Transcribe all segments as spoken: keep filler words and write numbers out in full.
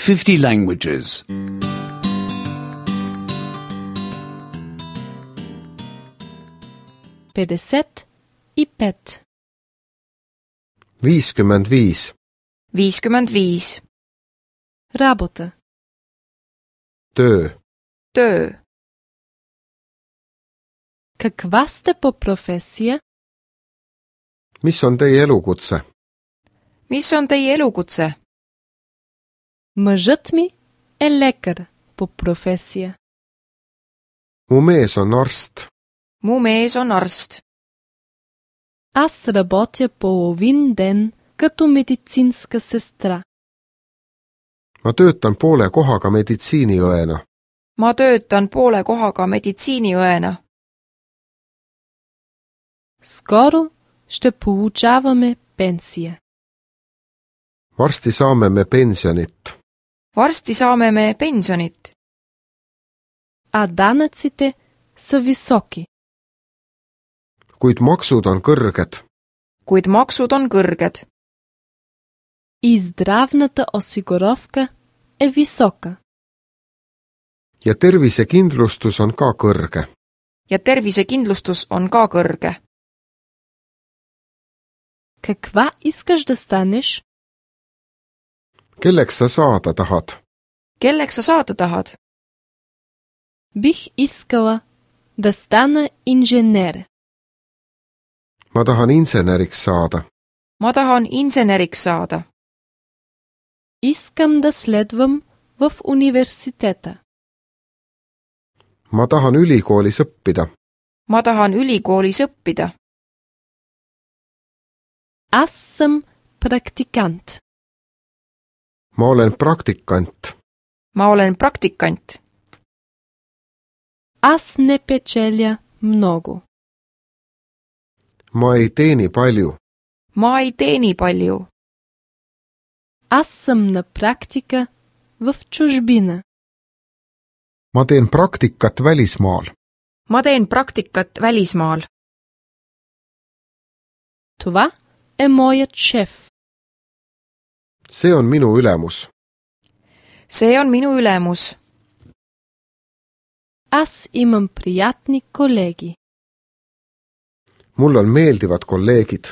fifty languages. pedeset i pet. viiskümmend viis. viiskümmend viis. Работа. Töö. Töö. Каква сте по професия? Mis on teie elukutse? Mis on teie elukutse? Мъжът ми е лекар по професия. Mu mees on arst. Mu mees on arst. Аз работя половин ден като медицинска сестра. Ma töötan poole kohaga meditsiiniõena. Ma töötan poole kohaga meditsiiniõena. Скоро ще получаваме пенсия. Varsti saame me pensionit. Varsti saame me pensionit. А данъците са високи. Kuid maksud on kõrged. Kuid maksud on kõrged. И здравната осигуровка е висока. Ja tervisekindlustus on ka kõrge. Ja tervisekindlustus on ka kõrge. Каква искаш да станеш? Kelleks sa saada tahad? Kelleks sa saada tahad? Бих искала да стана инженер. Ma tahan inseneriks saada. Ma tahan inseneriks saada. Искам да следвам в университета. Ma tahan ülikoolis õppida. Ma tahan ülikoolis õppida. Аз съм практикант. Ma olen praktikant. Ma olen praktikant. Аз не печеля много. Ma ei teeni palju. Ma ei teeni palju. Аз съм на практика в чужбина. Ma teen praktikat välismaal. Ma teen praktikat välismaal. Това е моят шеф. See on minu ülemus. See on minu ülemus. Аз имам приятни колеги. Mul on meeldivad kolleegid.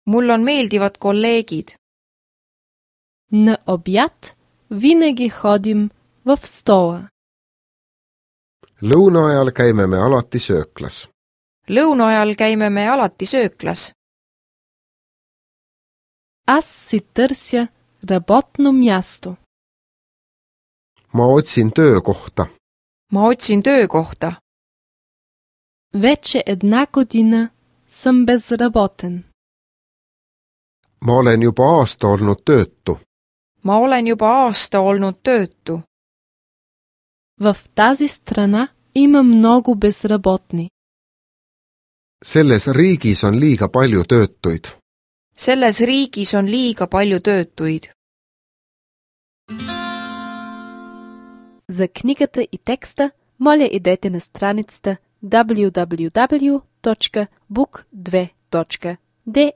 Mul on meeldivad kolleegid. На обяд винаги ходим в стола. Lõuna ajal käime me alati sööklas. Lõuna ajal käime me alati sööklas. Аз си търся работно място. Ma otsin töökohta. Ma otsin töökohta. Вече една година съм безработен. Ma olen juba aasta olnud töötu. Ma olen juba aasta olnud töötu. В тази страна има много безработни. Selles riigis on liiga palju töötuid. Selles riigis on liiga palju töötuid. За книгата и текста моля идете на страницата даблю даблю даблю точка бук две точка де